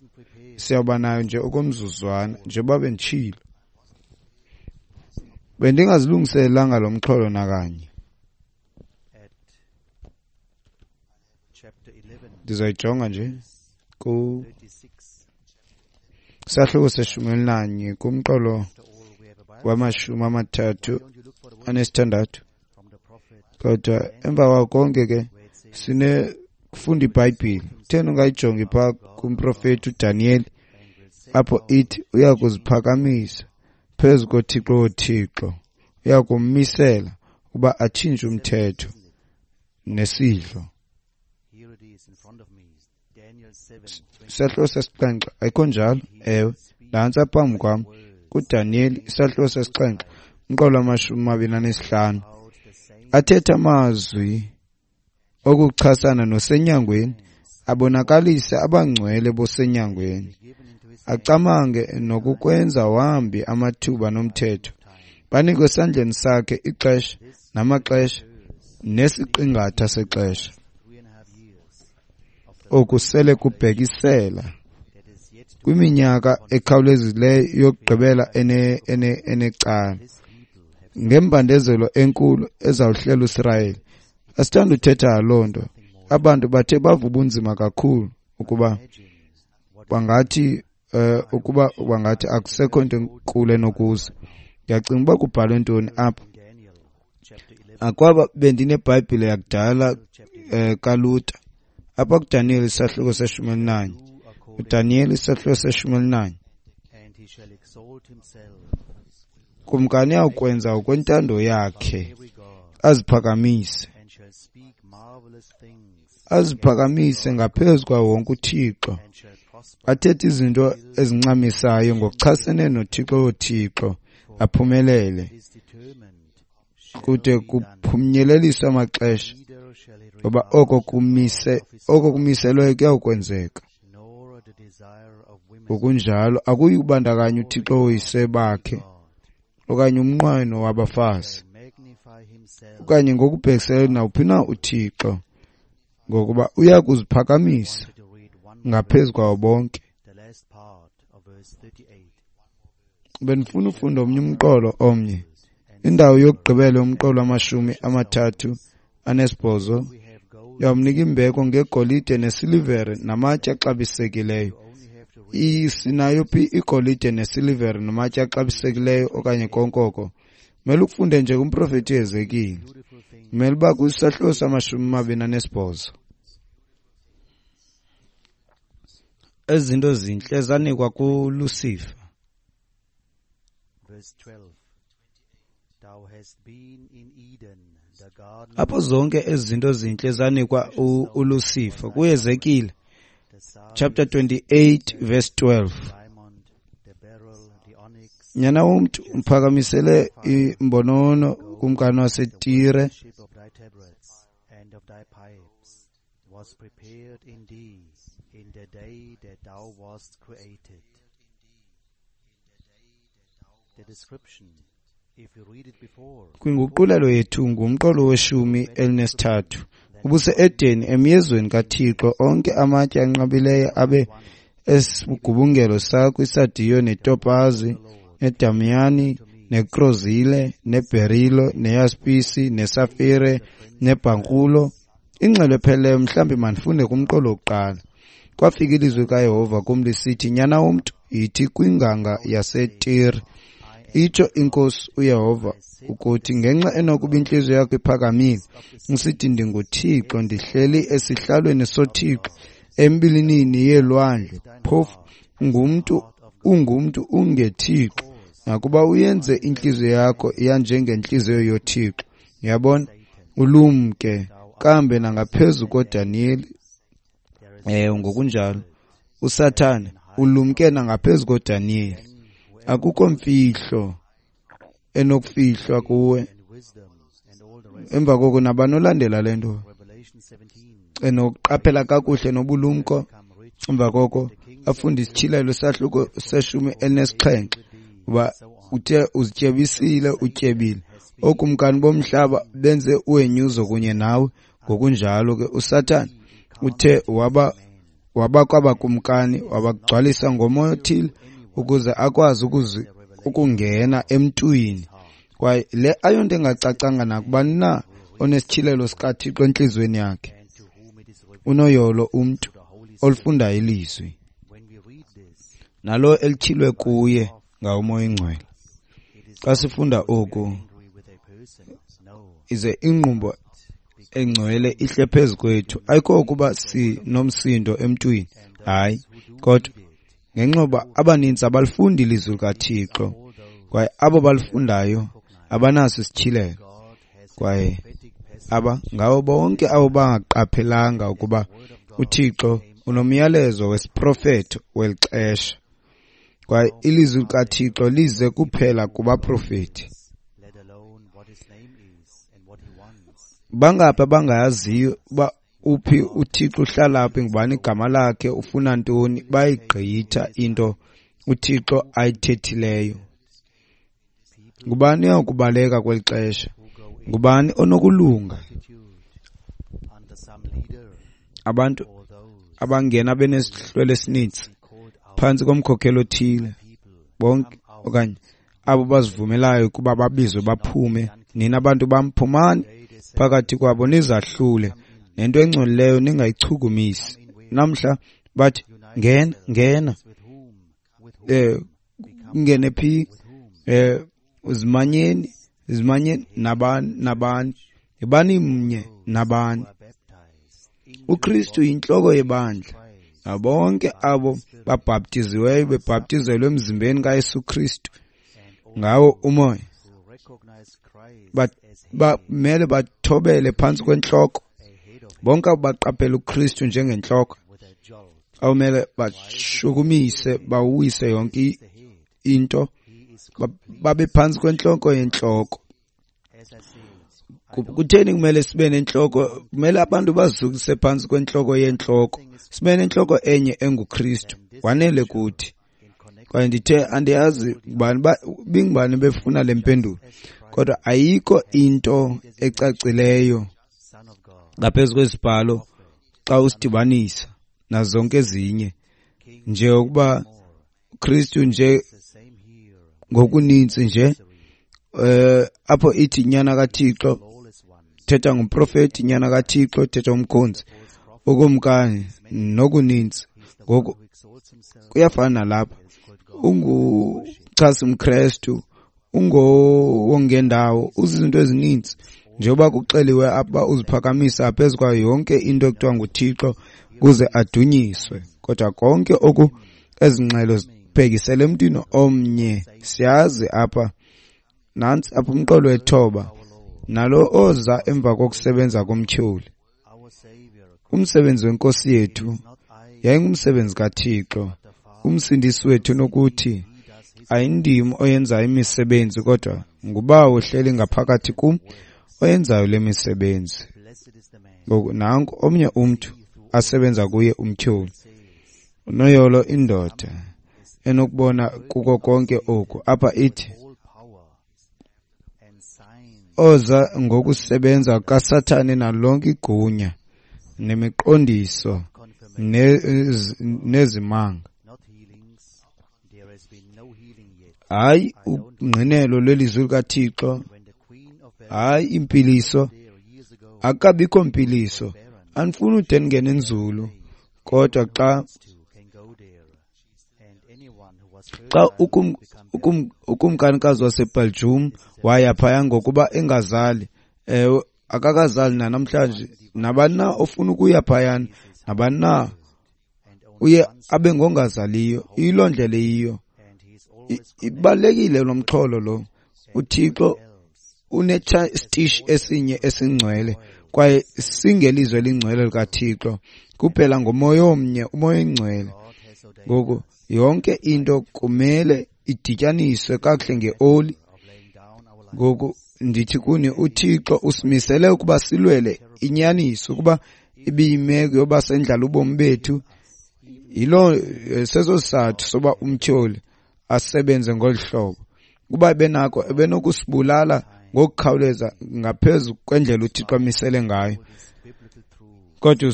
siyawuba nayo nje okomzuzwana, njengoba benditshilo. Bendingazilungiselelanga lo mxholo nakanye. Ndizoyijonga nje ku sahluko seshumi elinanye kumqolo wamashumi amathathu anesithandathu. Kodwa emva kwako konke ke sinefunda iBhayibhile. Kutheni ungayijongi phaa kumprofeti uDaniyeli apho ithi uya kuziphakamisa phezu koThixo woThixo, uya kummisela ukuba atshintshe umthetho nesidlo. Isahluko sesixhenxe, ayikho njalo? Ewe, nantsi phambi kwam kuDaniyeli isahluko sesixhenxe umqolo wamashumi amabini anesihlanu. Athetha amazwi okuchasana nosenyangweni, abonakalise abangcwele bosenyangweni, acamange nokukwenza wambi amathuba nomthetho, banikwe esandleni sakhe ixesha namaxesha nesiqingatha sexesha. Oku sele kubhekisela kwiminyaka ekhawulezileyo yokugqibela ene ene enecala. Ngembandezelo enkulu ezawuhlela uSirayeli. Asithanda uthetha loo nto. Abantu bathe bava ubunzima kakhulu ukuba bangathi uh, ukuba bangathi akusekho nto enkulu enokuza. Ndiyacinga uba kubhalwe ntoni apha. Akwaba bendineBhayibhile yakudala um kaLuther. Apha kuDaniyeli isahluko seshumi elinanye. UDaniyeli isahluko seshumi elinanye. Kumkani uyawukwenza ngokwentando yakhe, aziphakamise. Aziphakamise ngaphezu kwawo wonke uThixo. Athethe izinto ezincamisayo ngokuchasene noThixo woThixo, aphumelele. Kude kuphunyeleliswe amaxesha, ngoba oko kumise oko kumiselweyo kuyawukwenzeka. Ngokunjalo akuyi kubandakanya uThixo woyise bakhe okanye umnqweno wabafazi okanye ngokubhekiselele nawuphi na uThixo, ngokuba uya kuziphakamisa ngaphezu kwawo bonke. Bendifuna ufunda omnye umqolo omnye. Indawo yokugqibela yomqolo wamashumi amathathu anesibhozo yawumnika imbeko ngegolide nesilivere namatye axabisekileyo. Sinayo phi igolide nesilivere namatye axabisekileyo okanye konke oko? Mele ukufunde nje kumprofeti uHezekile. Mele uba kwisahluko samashumi amabini anesibhozo. Ezi zinto zintle zanikwa kuLucifer. Apho zonke ezi zinto zintle zanikwa uLucifer kuHezekile chapter twenty-eight verse twelve. Nyana womntu, umphakamisele imbonono kumkani waseTire Kwinguqulelo yethu ngumqolo weshumi elinesithathu. Ubuse-Edeni emyezweni kaThixo, onke amatye anqabileyo abe esigubungelo sakho, isadiyo netopazi nedamiyani nekrozile neberilo neyaspisi nesafire nebhankulo. Ingxelo epheleleyo mhlawumbi mandifunde kumqolo wokuqala. Kwafika ilizwi kaYehova kum lisithi, nyana womntu, yithi kwinganga yaseTire, itsho iNkosi uYehova ukuthi, ngenxa enokuba intliziyo yakho iphakamile, usithi ndinguThixo, ndihleli esihlalweni soThixo embilinini yeelwandle, phofu ungumntu ungumntu ungethixo, nakuba uyenze intliziyo yakho yanjengentliziyo yoThixo. Uyabona, ulumke kambe nangaphezu koDaniyeli. Eh ngokunjalo uSathane ulumke nangaphezu koDaniyeli. Akukho mfihlo enokufihlwa kuwe. Emva koko nabani olandela le nto enokuqaphela kakuhle nobulumko, emva koko afunde isityhilelo isahluko seshumi elinesixhenxe, uba uthe uzityebisile, utyebile. Ookumkani bomhlaba benze uhenyuzo kunye nawe. Ngokunjalo ke uSathane uthe waba waba kwabakumkani, wabagcwalisa ngomoya othile ukuze akwazi ukuzi ukungena emntwini. Kwaye le ayonto engacacanga nakubani na onesityhilelo sikaThixo entliziyweni yakhe. Unoyolo umntu olufundayo ilizwi nalo elityhilwe kuye ngawo uMoya oyiNgcwele. Xa sifunda oku, ize ingqumbo engcwele ihle phezu kwethu. Ayikho ukuba sinomsindo emntwini, hayi, kodwa ngenxa yoba abaninzi abalifundi ilizwi likaThixo, kwaye abo balifundayo abanaso isityhilelo. Kwaye aba ngabo bonke abo bangaqaphelanga ukuba uThixo unomyalezo wesiprofeto weli xesha, kwaye ilizwi likaThixo lize kuphela kubaprofeti. Bangaphi abangayaziyo uba uphi uThixo, uhlala phi, ngubani igama lakhe, ufuna ntoni? Bayigqitha into uThixo ayithethileyo. Ngubani oyakubaleka kweli xesha? Ngubani onokulunga? Abantu abangena benesihlwele esininzi phantsi komkhokeli othile, bonke okanye abo bazivumelayo ukuba babizwe baphume. Nina bantu bam, phumani phakathi kwabo nizahlule, nento engcolileyo ningayichukumisi. Namhla bathi ngena, ngena, eh ngene phi, eh uzimanyeni, zimanyeni nabani nabani, ibani mnye nabani. UKristu yintloko yebandla. Bonke abo babhaptiziweyo bebhaptizelwe emzimbeni kaYesu Kristu ngawo umoya bamele bathobele phantsi kwentloko. Bonke abo baqaphela uKristu njengentloko awumele bashukumise bawise yonke into, babe phantsi kwentloko yentloko. Kutheni kumele sibe nentloko? Kumele abantu bazukise phantsi kwentloko yentloko, sibe nentloko enye enguKristu. Wanele kuthi. Kwaye ndithe andiyazi ngubani bingubani befuna le mpendulo, kodwa ayikho into ecacileyo ngaphezu kwezibhalo xa usidibanisa nazo zonke ezinye, nje ukuba uKristu nje ngokuninzi nje eh apho ithi nyana kaThixo thetha ngumprofeti, nyana kaThixo thetha umkhonzi, ukumkani nokuninzi. Ngoku kuyafana nalapha, unguchasi umKristu, ungowongendawo, uzizinto ezininzi njengoba kuxeliwe apha, uziphakamisa phezu kwayo yonke into ekuthiwa nguThixo kuze adunyiswe. Kodwa konke oku ezingxelo zibhekisele emntwini omnye. Siyazi apha, nantsi apha umqolo wethoba, nalo oza emva kokusebenza komtyholi. Umsebenzi wenkosi yethu yayingumsebenzi kaThixo, umsindisi wethu, nokuthi ayindim oyenzayo imisebenzi, kodwa ngubawo ohleli ngaphakathi kum oyenzayo le misebenzi. Ngoku nanku omnye umntu asebenza kuye umtyholi. Unoyolo indoda enokubona kuko konke oku. Apha ithi oza ngokusebenza kaSathane nalonke igunya nemiqondiso nezimanga. Hayi ungqinelo lwelizwi likaThixo, hayi impiliso, akabikho mpiliso. Andifuni ude ndingene nzulu, kodwa xa xa ukum, ukum, ukumkanikazi waseBelgium waya phaya ngokuba engazali, ewe akakazali nanamhlanje, nabani na ofuna ukuya phayana, nabani na uye abe ngongazaliyo. Iyiloo ndlela eyiyo. Ibalulekile lo mxholo lo. UThixo unesitishi esinye esingcwele, kwaye singelizwe elingcwele likaThixo kuphela ngomoya omnye, umoya oyingcwele. Ngoku yonke into kumele idityaniswe kakuhle ngeoli. Ngoku ndithi kuni, uThixo usimisele ukuba silwele inyaniso, ukuba ibiyimeko yoba sendlala ubomi bethu. Yiloo seso sizathu soba umtyholi asebenze ngolu hlobo. Kuba ebenako ebenokusibulala ngokukhawuleza ngaphezu kwendlela uThixo amisele ngayo. Kodwa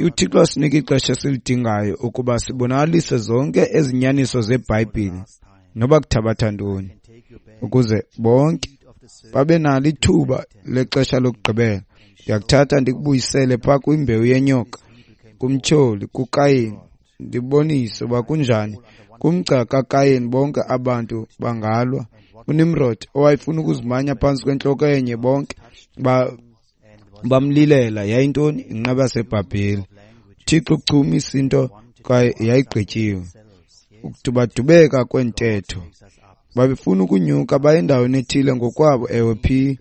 uThixo asinika ixesha esilidingayo ukuba sibonakalise zonke ezinyaniso zeBhayibhile, noba kuthabatha ntoni, ukuze bonke babe nalo ithuba lexesha lokugqibela. Ndiyakuthatha ndikubuyisele phaa kwimbewu yenyoka, kumtyholi, kuKayini, ndibonise uba kunjani. Kumgca kaKayini bonke abantu bangalwa. uNimrod owayefuna ukuzimanya phantsi kwentloko enye, bonke ba bamlilela. Yayintoni? Inqaba yaseBhabheli. uThixo uchumisa into kwaye yayigqityiwe. Ukudubadubeka kwentetho, babefuna ukunyuka baye endaweni ethile ngokwabo. Ewe phi,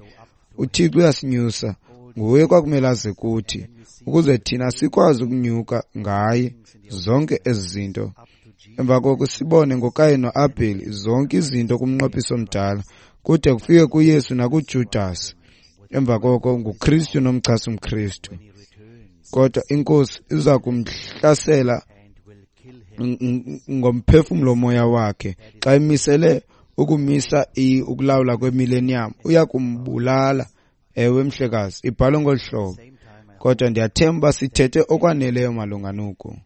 uThixo uyasinyusa. Nguye kwakumele aze kuthi, ukuze thina sikwazi ukunyuka ngaye zonke ezi zinto. Emva koko sibone ngoKayin noAbheli zonke izinto kumnqophiso omdala, kude kufike kuYesu nakuJudas. Emva koko nguKristu nomchasi umKristu. Kodwa inkosi iza kumhlasela ngomphefumlo moya wakhe xa imisele ukumisa ukulawula kwemillennium, uya kumbulala. Ewe mhlekazi, ibhalwe ngolu hlobo. Kodwa ndiyathemba sithethe okwaneleyo malunga noku.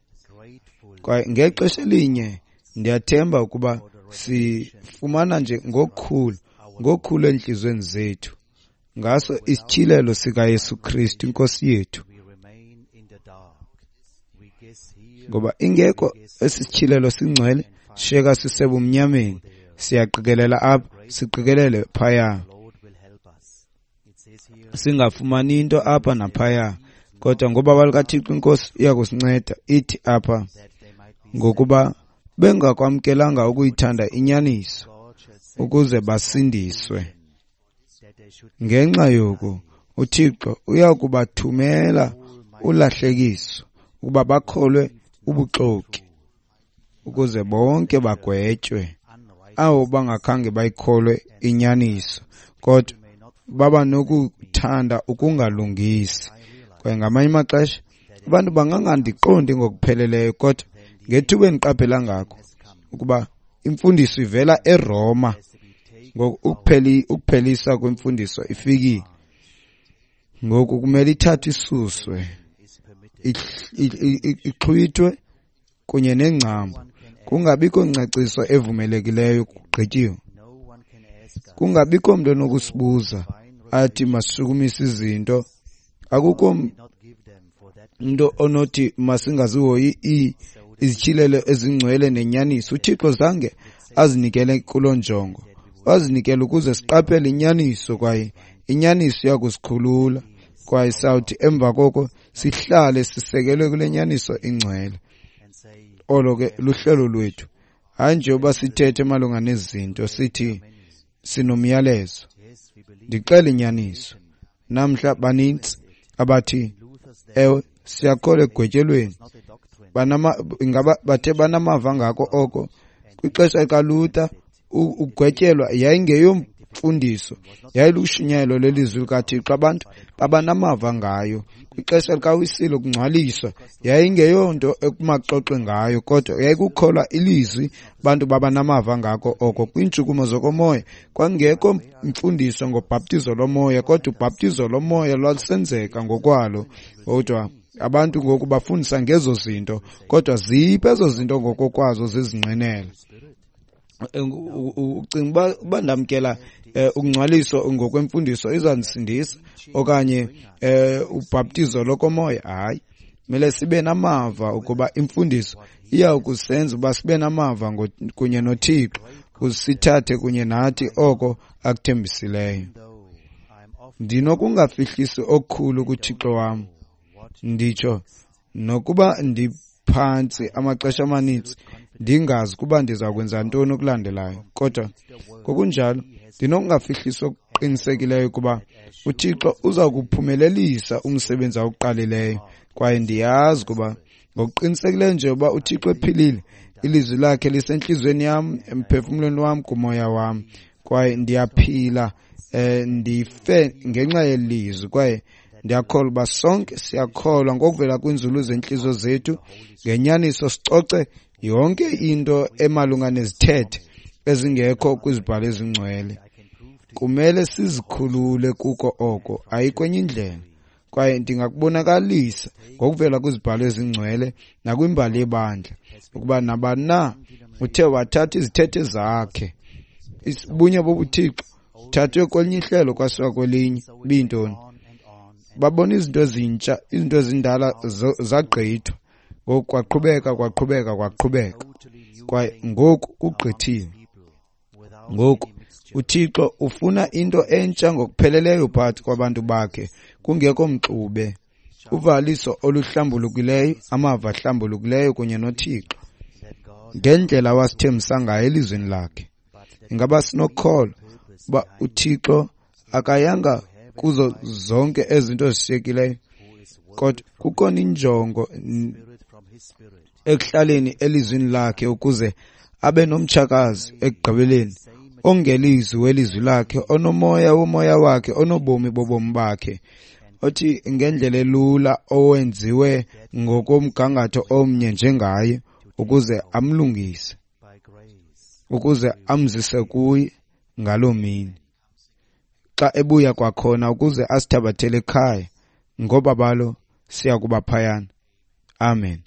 Kwaye ngexesha elinye ndiyathemba ukuba Sifumana nje ngokukhulu, ngokukhulu entliziyweni zethu ngaso isityhilelo sikaYesu Kristu iNkosi yethu. Ngoba ingekho esi sityhilelo singcwele, shiyeka sisebumnyameni, siyaqikelela apha, siqikelele phaya, singafumani into apha naphaya. Kodwa ngobabalo lukaThixo iNkosi iyakusinceda. Ithi apha, ngokuba bengakwamkelanga ukuyithanda inyaniso ukuze basindiswe. Ngenxa yoku uThixo uyakubathumela ulahlekiso ukuba bakholwe ubuxoki, ukuze bonke bagwetywe abo bangakhange bayikholwe inyaniso, kodwa baba nokuthanda ukungalungisi. Kwaye ngamanye amaxesha abantu bangangandiqondi ngokupheleleyo, kodwa ngethuba endiqaphela ngako ukuba imfundiso ivela eRoma, ngoku ukupheli ukuphelisa kwemfundiso ifikile. Ngoku kumele ithathwe isuswe, ixhwithwe kunye nengcambu, kungabikho ngcaciso evumelekileyo, kugqityiwe. Kungabikho mntu onokusibuza athi masishukumise izinto. Akukho mntu onothi masingazihoyi izityhilelo ezingcwele nenyaniso. UThixo zange azinikele kuloo njongo, wazinikela ukuze siqaphele inyaniso, kwaye inyaniso iyakusikhulula, kwaye sawuthi emva koko sihlale sisekelwe kule nyaniso ingcwele. Olo ke luhlelo lwethu. Hayi nje uba sithethe malunga nezinto sithi sinomyalezo. Ndixela inyaniso. Namhla banintsi abathi ewe siyakholwa ekugwetyelweni, banama ingaba bathe banamava ngako oko. Kwixesha likaLuther ukugwetyelwa yayingeyomfundiso, yayilushunyayelo lelizwi likaThixo, abantu babanamava ngayo. Kwixesha likaWisile ukungcwaliswa yayingeyonto ekumaxoxe ngayo, kodwa yayikukholwa ilizwi, abantu babanamava ngako oko. Kwiintshukumo zokomoya kwangekho mfundiso ngobhaptizo lomoya, kodwa ubhaptizo lomoya lwalusenzeka ngokwalo. Kodwa abantu ngoku bafundisa ngezo zinto, kodwa ziphi ezo zinto ngokokwazo zizingqinela. Ucinga uba uba ndamkela ukungcwaliswa ngokwemfundiso izandisindisa okanye ubhaptizo lokomoya? Hayi, kumele sibe namava ukuba imfundiso iya kusenza uba sibe namava kunye noThixo, kusithathe kunye nathi oko akuthembisileyo. Ndinokungafihlisi okukhulu kuThixo wam, nditsho nokuba ndiphantsi amaxesha amaninzi ndingazi kuba ndiza kwenza ntoni okulandelayo, kodwa ngokunjalo ndinokungafihlisi okuqinisekileyo ukuba uThixo uza kuphumelelisa umsebenzi awuqalileyo. Kwaye ndiyazi kuba ngokuqinisekileyo nje uba uThixo ephilile, ilizwi lakhe lisentliziyweni yam, emphefumlweni wam, kumoya wam, kwaye ndiyaphila, eh, ndife ngenxa yelizwi. Kwaye ndiyakholwa uba sonke siyakholwa ngokuvela kwiinzulu zentliziyo zethu ngenyaniso, sicoce yonke into emalunga nezithethe ezingekho kwizibhalo ezingcwele. Kumele sizikhulule kuko oko, ayikho enye indlela. Kwaye ndingakubonakalisa ngokuvela kwizibhalo ezingcwele nakwimbali yebandla ukuba nabani na uthe wathatha izithethe zakhe, ubunye bobuThixo uthathwe kwelinye ihlelo kwasiwa kwelinye, ibiyintoni? Babona izinto ezintsha, izinto ezindala zagqithwa. Ngoku kwaqhubeka, kwaqhubeka, kwaqhubeka, kwaye ngoku kugqithile. Ngoku uThixo ufuna into entsha ngokupheleleyo phakathi kwabantu bakhe, kungekho mxube, uvaliso oluhlambulukileyo, amava ahlambulukileyo kunye noThixo ngendlela awasithembisa ngayo elizwini lakhe. Ingaba sinokholwa uba uThixo akayanga kuzo zonke ezinto ezishiyekileyo, kodwa kukhona injongo ekuhlaleni elizwini lakhe ukuze abe nomtshakazi ekugqibeleni ongelizwi welizwi lakhe, onomoya womoya wakhe, onobomi bobomi bakhe, othi ngendlela elula owenziwe ngokomgangatho omnye njengaye, ukuze amlungise, ukuze amzise kuye ngaloo mini xa ebuya kwakhona, ukuze asithabathele ekhaya. Ngobabalo siya kuba phayana. Amen.